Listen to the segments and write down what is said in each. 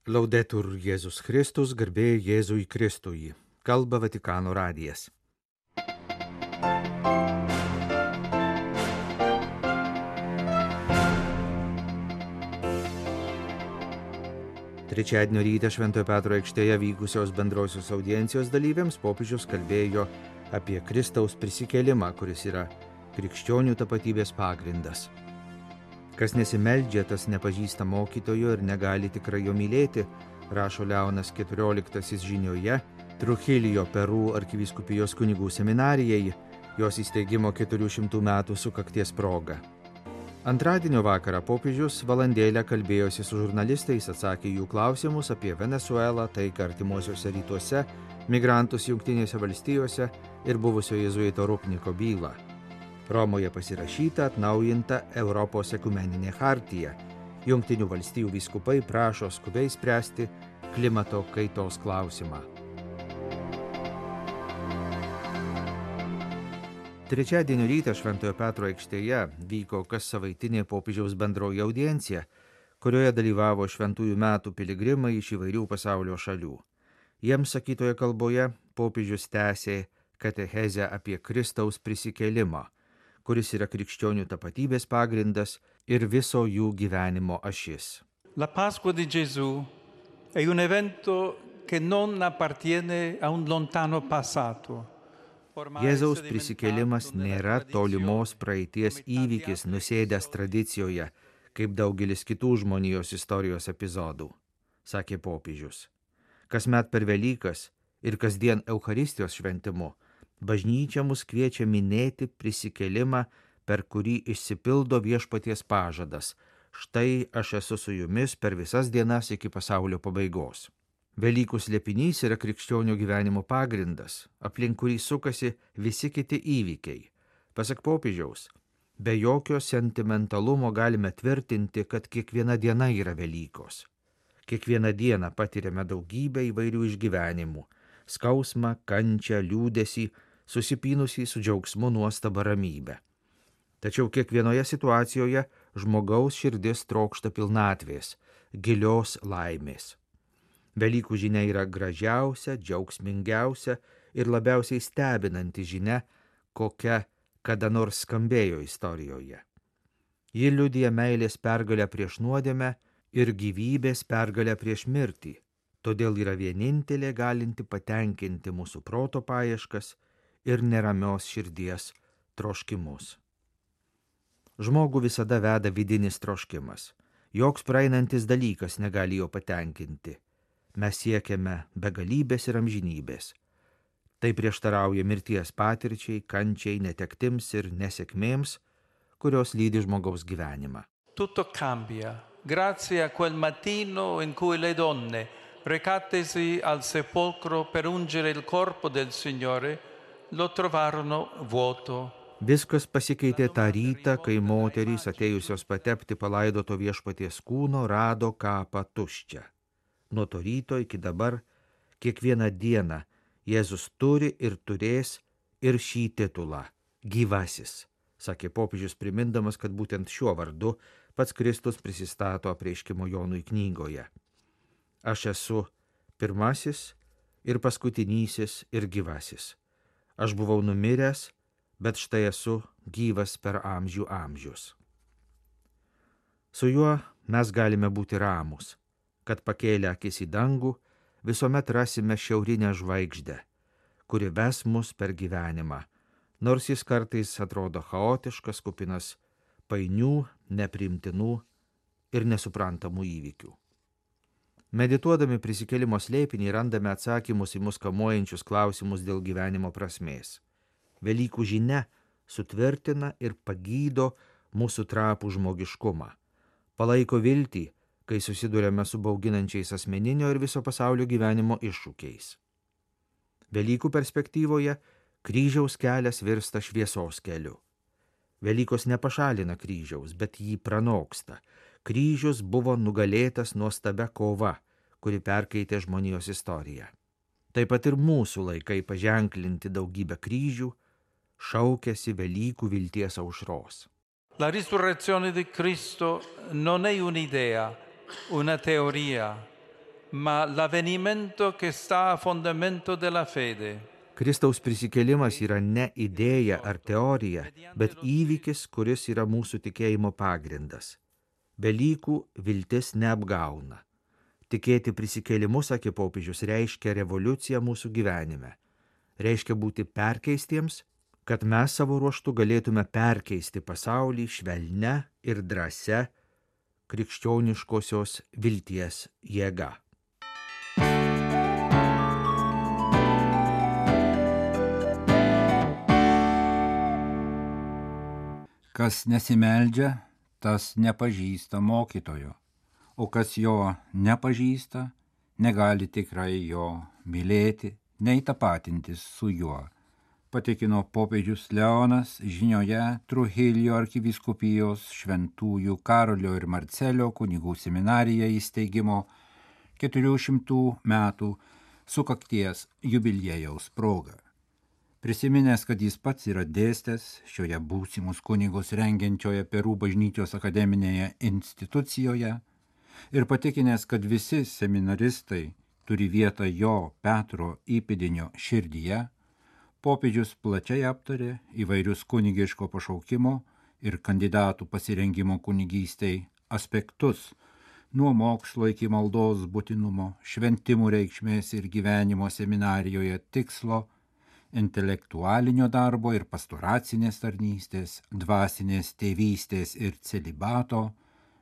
Laudetur Jėzus Kristus, garbė Jėzui Kristui. Kalba Vatikano radijas. Trečiadienio rytą Šventojo Petro aikštėje vykusios bendrosios audiencijos dalyviams popiežius kalbėjo apie Kristaus prisikėlimą, kuris yra krikščionių tapatybės pagrindas. Kas nesimeldžia, tas nepažįsta mokytojo ir negali tikrai jo mylėti, rašo Leonas XIV žinioje Truchilijo Peru arkivyskupijos kunigų seminarijai, jos įsteigimo 400 metų sukakties proga. Antradienio vakarą popiežius valandėlę kalbėjosi su žurnalistais, atsakė jų klausimus apie Venesuelą, taiką artimuosiuose rytuose, migrantus Jungtinėse valstijose ir buvusio jėzuito Rupniko bylą. Romoje pasirašyta atnaujinta Europos ekumeninė chartija. Jungtinių valstijų vyskupai prašo skubiai spręsti klimato kaitos klausimą. Trečiadienio rytą Šventojo Petro aikštėje vyko kas savaitinė popiežiaus bendroji audiencija, kurioje dalyvavo šventųjų metų piligrimai iš įvairių pasaulio šalių. Jiems sakytoje kalboje popiežius tęsė katechezę apie Kristaus prisikėlimą, kuris yra krikščionių tapatybės pagrindas ir viso jų gyvenimo ašis. La Pasqua di Gesù è un evento che non appartiene a un lontano passato. Jėzaus prisikėlimas nėra tolimos praeities įvykis nusėdęs tradicijoje, kaip daugelis kitų žmonijos istorijos epizodų, sakė popiežius. Kasmet per Velykas ir kasdien Eucharistijos šventimu bažnyčia mus kviečia minėti prisikėlimą, per kurį išsipildo viešpaties pažadas. Štai aš esu su jumis per visas dienas iki pasaulio pabaigos. Velykų slėpinys yra krikščionių gyvenimo pagrindas, aplink kurį sukasi visi kiti įvykiai. Pasak popiežiaus, be jokio sentimentalumo galime tvirtinti, kad kiekviena diena yra Velykos. Kiekvieną dieną patiriame daugybę įvairių išgyvenimų – skausmą, kančią, liūdesį, susipynusį su džiaugsmu, nuostaba, ramybe. Tačiau kiekvienoje situacijoje žmogaus širdis trokšta pilnatvės, gilios laimės. Velykų žinia yra gražiausia, džiaugsmingiausia ir labiausiai stebinanti žinia, kokia kada nors skambėjo istorijoje. Ji liudija meilės pergalę prieš nuodėmę ir gyvybės pergalę prieš mirtį, todėl yra vienintelė galinti patenkinti mūsų proto paieškas ir neramios širdies troškimus. Žmogų visada veda vidinis troškimas. Joks praeinantis dalykas negali jo patenkinti. Mes siekiame begalybės ir amžinybės. Tai prieštarauja mirties patirčiai, kančiai, netektims ir nesėkmėms, kurios lydi žmogaus gyvenimą. Tutto cambia grazie a quel mattino in cui le donne, recatesi al sepolcro per ungere il corpo del Signore, lo trovarono vuoto. Viskas pasikeitė tą rytą, kai moterys atėjusios patepti palaidoto viešpaties kūno rado kapą tuščią. Nuo to ryto iki dabar, kiekvieną dieną Jėzus turi ir turės ir šį titulą – gyvasis, sakė popiežius, primindamas, kad būtent šiuo vardu pats Kristus prisistato Apreiškimo Jonui knygoje. Aš esu pirmasis ir paskutinysis ir gyvasis. Aš buvau numiręs, bet štai esu gyvas per amžių amžius. Su juo mes galime būti ramūs, kad pakėlę akis į dangų visuomet rasime šiaurinę žvaigždę, kuri ves mus per gyvenimą, nors jis kartais atrodo chaotiškas, kupinas painių, nepriimtinų ir nesuprantamų įvykių. Medituodami prisikėlimo slėpinį randame atsakymus į mus kamuojančius klausimus dėl gyvenimo prasmės. Velykų žinia sutvirtina ir pagydo mūsų trapų žmogiškumą, palaiko viltį, kai susiduriame su bauginančiais asmeninio ir viso pasaulio gyvenimo iššūkiais. Velykų perspektyvoje kryžiaus kelias virsta šviesos keliu. Velykos nepašalina kryžiaus, bet jį pranoksta. Kryžius buvo nugalėtas nuostabia kova, kuri perkeitė žmonijos istoriją. Taip pat ir mūsų laikai paženklinti daugybę kryžių šaukiasi Velykų vilties aušros. La risurrezione di Cristo non è un'idea, una teoria, ma l'avvenimento che sta a fondamento della fede. Kristaus prisikėlimas yra ne idėja ar teorija, bet įvykis, kuris yra mūsų tikėjimo pagrindas. Velykų viltis neapgauna. Tikėti prisikėlimu, sakė popiežius, reiškia revoliuciją mūsų gyvenime. Reiškia būti perkeistiems, kad mes savo ruožtu galėtume perkeisti pasaulį švelnia ir drąsia krikščioniškosios vilties jėga. Kas nesimeldžia, tas nepažįsta mokytojo, o kas jo nepažįsta, negali tikrai jo mylėti, nei tapatintis su juo, patikino popiežius Leonas žinioje Trujillo arkivyskupijos šventųjų Karolio ir Marcelio kunigų seminarija įsteigimo 400 metų sukakties jubiliejaus proga. Prisiminęs, kad jis pats yra dėstęs šioje būsimus kunigus rengiančioje Perų bažnyčios akademinėje institucijoje ir patikinęs, kad visi seminaristai turi vietą jo Petro įpėdinio širdyje, popiežius plačiai aptarė įvairius kunigiško pašaukimo ir kandidatų pasirengimo kunigystei aspektus, nuo mokslo iki maldos būtinumo, šventimų reikšmės ir gyvenimo seminarijoje tikslo, intelektualinio darbo ir pastoracinės tarnystės, dvasinės tėvystės ir celibato,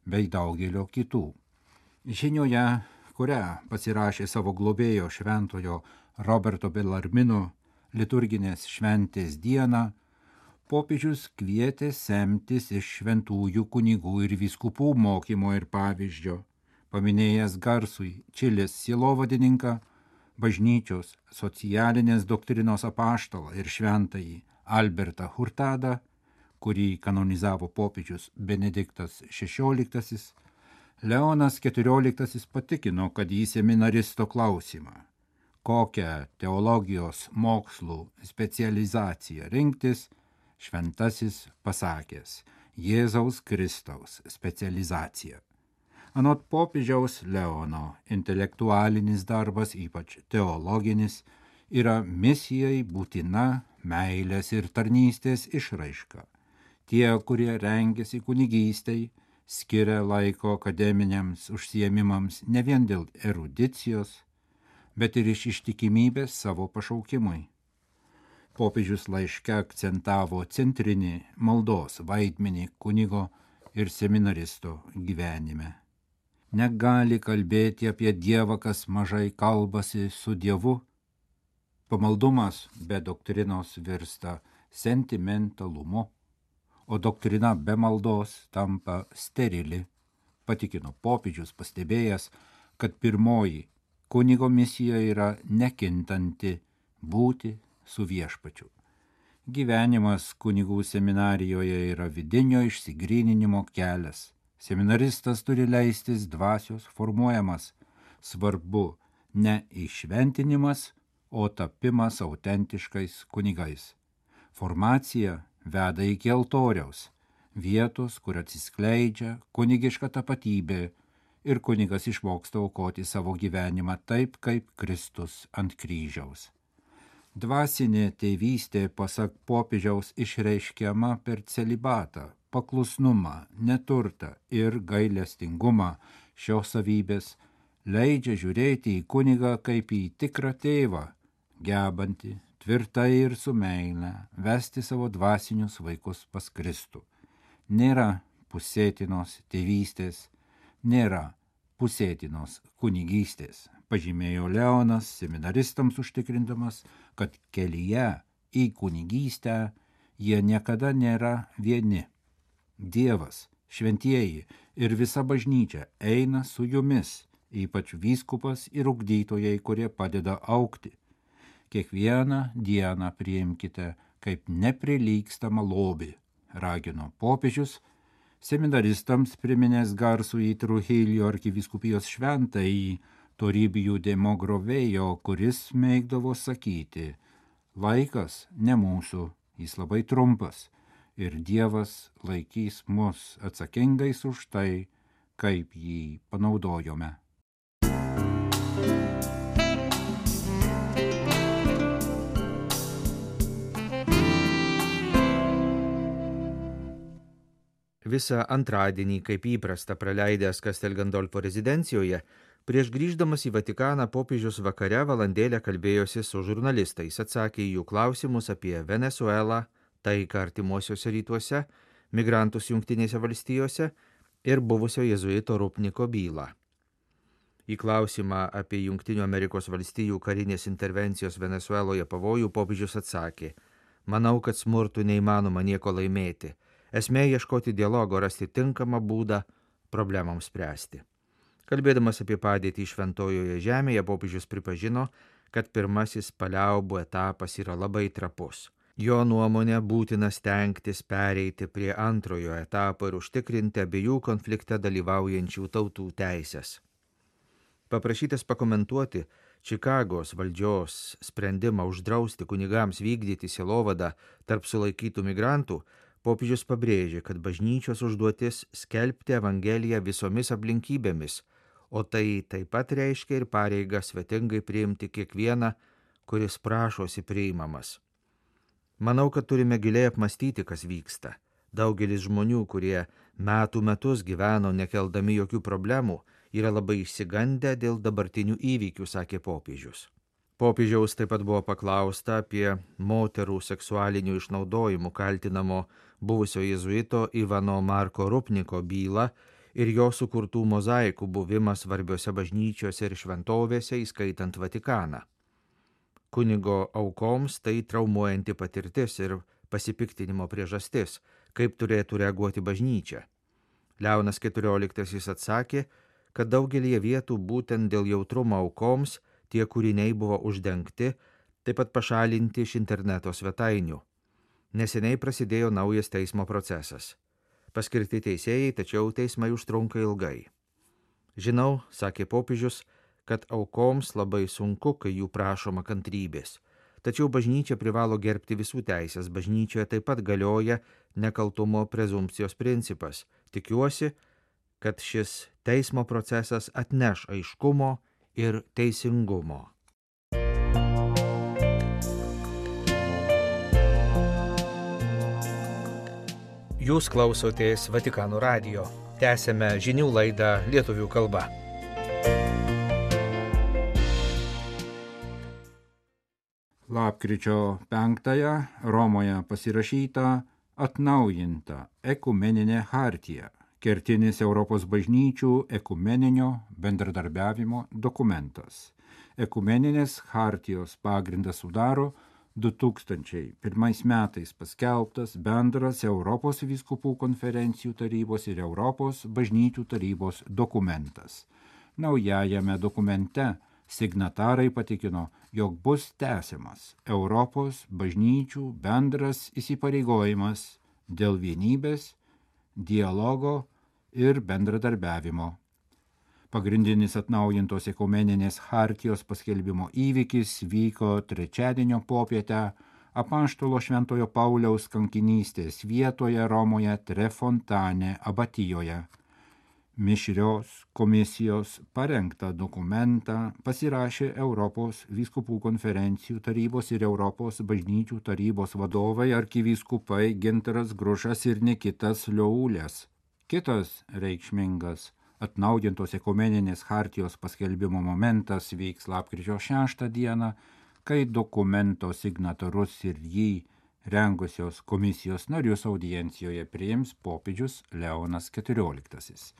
bei daugelio kitų. Žinioje, kurią pasirašė savo globėjo šventojo Roberto Bellarmino liturginės šventės dieną, popiežius kvietė semtis iš šventųjų kunigų ir vyskupų mokymo ir pavyzdžio, paminėjęs garsųjį Čilės sielovadininką, bažnyčios socialinės doktrinos apaštalą ir šventąjį Albertą Hurtadą, kurį kanonizavo popiežius Benediktas XVI, Leonas XIV patikino, kad į seminaristo klausimą, kokią teologijos mokslų specializaciją rinktis, šventasis pasakęs Jėzaus Kristaus specializacija. Anot popiežiaus Leono, intelektualinis darbas, ypač teologinis, yra misijai būtina meilės ir tarnystės išraiška. Tie, kurie rengiasi kunigystei, skiria laiko akademiniams užsiėmimams ne vien dėl erudicijos, bet ir iš ištikimybės savo pašaukimui. Popiežius laiške akcentavo centrinį maldos vaidmenį kunigo ir seminaristo gyvenime. Negali kalbėti apie Dievą, kas mažai kalbasi su Dievu. Pamaldumas be doktrinos virsta sentimentalumu, o doktrina be maldos tampa sterili, patikino popiežius, pastebėjęs, kad pirmoji kunigo misija yra nekintanti būti su viešpačiu. Gyvenimas kunigų seminarijoje yra vidinio išsigryninimo kelias. Seminaristas turi leistis dvasios formuojamas, svarbu ne įšventinimas, o tapimas autentiškais kunigais. Formacija veda iki altoriaus, vietos, kur atsiskleidžia kunigiška tapatybė ir kunigas išmoksta aukoti savo gyvenimą taip, kaip Kristus ant kryžiaus. Dvasinė tėvystė, pasak popiežiaus, išreiškiama per celibatą, paklusnumą, neturtą ir gailestingumą. Šios savybės leidžia žiūrėti į kunigą kaip į tikrą tėvą, gebantį tvirtai ir su meile vesti savo dvasinius vaikus pas Kristų. Nėra pusėtinos tėvystės, nėra pusėtinos kunigystės, pažymėjo Leonas, seminaristams užtikrindamas, kad kelyje į kunigystę jie niekada nėra vieni. Dievas, šventieji ir visa bažnyčia eina su jumis, ypač vyskupas ir ugdytojai, kurie padeda augti. Kiekvieną dieną priimkite kaip neprilygstamą lobį, ragino popiežius, seminaristams priminęs garsųjį Trujillo arkivyskupijos šventąjį Toribijų de Mogrovejo, kuris mėgdavo sakyti, laikas ne mūsų, jis labai trumpas, ir Dievas laikys mus atsakingais už tai, kaip jį panaudojome. Visą antradienį, kaip įprasta praleidęs Castel Gandolfo rezidencijoje, prieš grįždamas į Vatikaną popiežius vakare valandėlę kalbėjosi su žurnalistais, atsakė į jų klausimus apie Venesuelą, taiką artimuosiuose rytuose, migrantus Jungtinėse valstijose ir buvusio jėzuito Rupniko bylą. Į klausimą apie Jungtinių Amerikos valstijų karinės intervencijos Venesueloje pavojų popiežius atsakė: manau, kad smurtu neįmanoma nieko laimėti. Esmė ieškoti dialogo, rasti tinkamą būdą problemams spręsti. Kalbėdamas apie padėtį Šventojoje žemėje, popiežius pripažino, kad pirmasis paliaubų etapas yra labai trapus. Jo nuomonė būtina stengtis pereiti prie antrojo etapo ir užtikrinti abiejų konflikte dalyvaujančių tautų teisės. Paprašytas pakomentuoti Čikagos valdžios sprendimą uždrausti kunigams vykdyti sielovadą tarp sulaikytų migrantų, popiežius pabrėžė, kad bažnyčios užduotis skelbti Evangeliją visomis aplinkybėmis, o tai taip pat reiškia ir pareigą svetingai priimti kiekvieną, kuris prašosi priimamas. Manau, kad turime giliai apmastyti, kas vyksta. Daugelis žmonių, kurie metų metus gyveno nekeldami jokių problemų, yra labai išsigandę dėl dabartinių įvykių, sakė popiežius. Popiežiaus taip pat buvo paklausta apie moterų seksualinių išnaudojimų kaltinamo buvusio jėzuito Ivano Marko Rupniko bylą ir jo sukurtų mozaikų buvimą svarbiose bažnyčiose ir šventovėse, įskaitant Vatikaną. Kunigo aukoms tai traumuojanti patirtis ir pasipiktinimo priežastis, kaip turėtų reaguoti bažnyčia. Leonas XIV atsakė, kad daugelį vietų būtent dėl jautrumo aukoms tie kūriniai buvo uždengti, taip pat pašalinti iš interneto svetainių. Neseniai prasidėjo naujas teismo procesas. Paskirti teisėjai, tačiau teismai užtrunka ilgai. Žinau, sakė popiežius, kad aukoms labai sunku, kai jų prašoma kantrybės. Tačiau bažnyčia privalo gerbti visų teisės. Bažnyčioje taip pat galioja nekaltumo prezumpcijos principas. Tikiuosi, kad šis teismo procesas atneš aiškumo ir teisingumo. Jūs klausotės Vatikano radijo. Tęsėme žinių laidą lietuvių kalba. Lapkričio 5 Romoje pasirašyta atnaujinta ekumeninė chartija, kertinis Europos bažnyčių ekumeninio bendradarbiavimo dokumentas. Ekumeninės chartijos pagrindą sudaro 2001 metais paskelbtas bendras Europos vyskupų konferencijų tarybos ir Europos bažnyčių tarybos dokumentas. Naujajame dokumente signatarai patikino, jog bus tęsiamas Europos bažnyčių bendras įsipareigojimas dėl vienybės, dialogo ir bendradarbiavimo. Pagrindinis atnaujintos ekumeninės chartijos paskelbimo įvykis vyko trečiadienio popietę Apaštalo Šventojo Pauliaus kankinystės vietoje Romoje Trefontane abatijoje. Mišrios komisijos parengtą dokumentą pasirašė Europos vyskupų konferencijų tarybos ir Europos bažnyčių tarybos vadovai arkivyskupai Gintaras Grušas ir Nikitas Liaulės. Kitas reikšmingas atnaujintos ekumeninės chartijos paskelbimo momentas vyks lapkričio 6 dieną, kai dokumento signatarus ir jį rengusios komisijos narius audiencijoje priims popiežius Leonas XIV.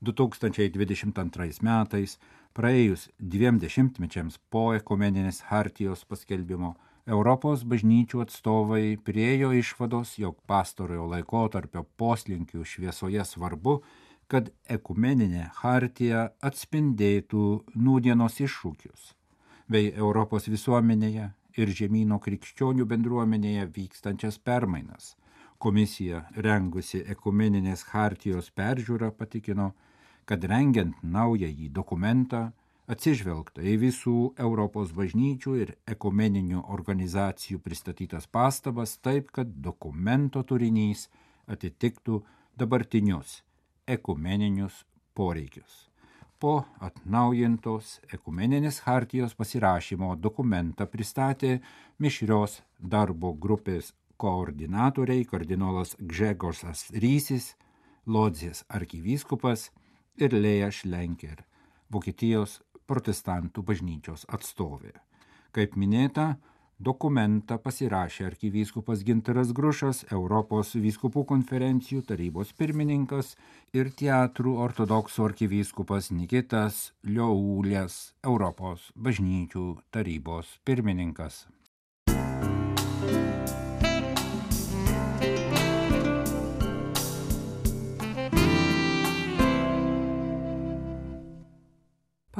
2022 metais, praėjus 20 mečiams po ekumeninės chartijos paskelbimo, Europos bažnyčių atstovai priėjo išvados, jog pastarojo laikotarpio poslinkių šviesoje svarbu, kad ekumeninė chartija atspindėtų nūdienos iššūkius, bei Europos visuomenėje ir žemyno krikščionių bendruomenėje vykstančias permainas. Komisija, rengusi ekumeninės chartijos peržiūrą, patikino, kad rengiant naująjį dokumentą atsižvelgta į visų Europos bažnyčių ir ekumeninių organizacijų pristatytas pastabas taip, kad dokumento turinys atitiktų dabartinius ekumeninius poreikius. Po atnaujintos ekumeninės chartijos pasirašymo dokumentą pristatė mišrios darbo grupės koordinatoriai kardinolas Gžegožas Rysis, Lodzės arkivyskupas ir Lėja Šlenker, Vokietijos protestantų bažnyčios atstovė. Kaip minėta, dokumentą pasirašė arkivyskupas Gintaras Grušas, Europos vyskupų konferencijų tarybos pirmininkas ir Teatrų ortodoksų arkivyskupas Nikitas Liaulės, Europos bažnyčių tarybos pirmininkas.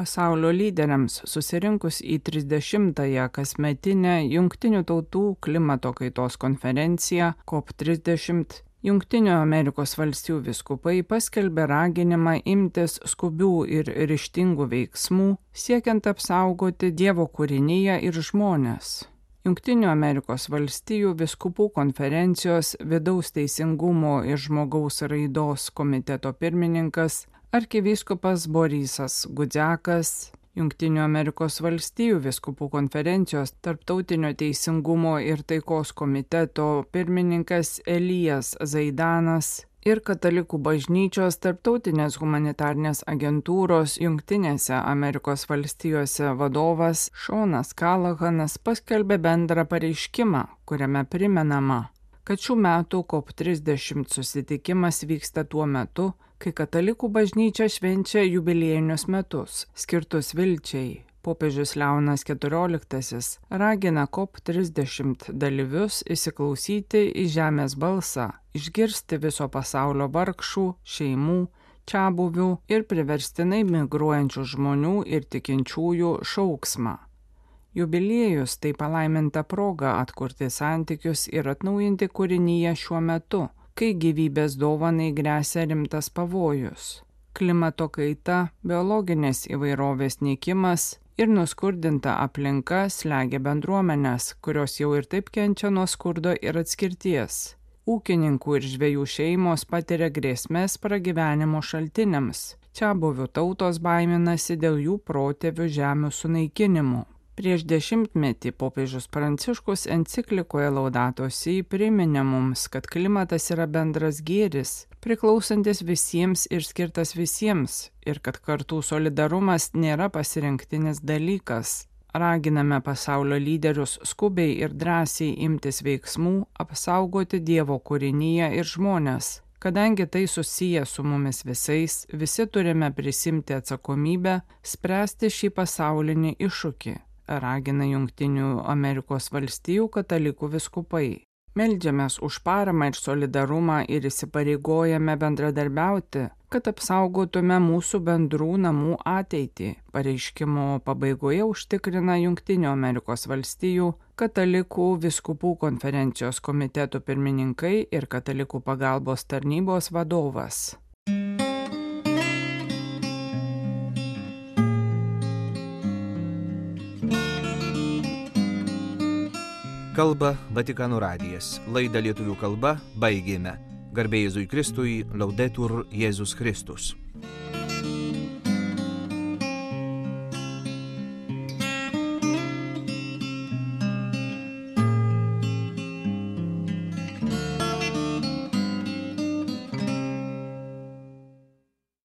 Pasaulio lyderiams susirinkus į 30-ąją kasmetinę Jungtinių tautų klimato kaitos konferenciją COP30, Jungtinių Amerikos valstijų vyskupai paskelbė raginimą imtis skubių ir ryžtingų veiksmų, siekiant apsaugoti Dievo kūriniją ir žmones. Jungtinių Amerikos valstijų vyskupų konferencijos vidaus teisingumo ir žmogaus raidos komiteto pirmininkas arkivyskupas Borisas Gudziakas, Jungtinių Amerikos valstijų vyskupų konferencijos tarptautinio teisingumo ir taikos komiteto pirmininkas Elijas Zaidanas ir Katalikų bažnyčios tarptautinės humanitarnės agentūros Jungtinėse Amerikos valstijose vadovas Šonas Kalahanas paskelbė bendrą pareiškimą, kuriame primenama, kad šių metų COP30 susitikimas vyksta tuo metu, kai Katalikų bažnyčia švenčia jubiliejinius metus, skirtus vilčiai. Popiežius Leonas XIV ragina COP30 dalyvius įsiklausyti į žemės balsą, išgirsti viso pasaulio vargšų, šeimų, čiabuvių ir priverstinai migruojančių žmonių ir tikinčiųjų šauksmą. Jubiliejus tai palaiminta proga atkurti santykius ir atnaujinti kūrinyje šiuo metu, kai gyvybės dovanai gresia rimtas pavojus. Klimato kaita, biologinės įvairovės nykimas ir nuskurdinta aplinka slegia bendruomenės, kurios jau ir taip kenčia nuo skurdo ir atskirties. Ūkininkų ir žvejų šeimos patiria grėsmės pragyvenimo šaltiniams. Čiabuvių tautos baiminasi dėl jų protėvių žemių sunaikinimų. Prieš 10 metį popiežius Pranciškus enciklikoje Laudato Si priminė mums, kad klimatas yra bendras gėris, priklausantis visiems ir skirtas visiems, ir kad kartų solidarumas nėra pasirinktinis dalykas. Raginame pasaulio lyderius skubiai ir drąsiai imtis veiksmų, apsaugoti Dievo kūrinyje ir žmones. Kadangi tai susiję su mumis visais, visi turime prisimti atsakomybę, spręsti šį pasaulinį iššūkį, ragina Jungtinių Amerikos valstijų katalikų vyskupai. Meldžiamės už paramą ir solidarumą ir įsipareigojame bendradarbiauti, kad apsaugotume mūsų bendrų namų ateitį. Pareiškimo pabaigoje užtikrina Jungtinių Amerikos valstijų katalikų vyskupų konferencijos komitetų pirmininkai ir katalikų pagalbos tarnybos vadovas. Kalba Vatikano radijas. Laidą lietuvių kalba baigėme. Garbė Jėzui Kristui, Laudetur Jėzus Kristus.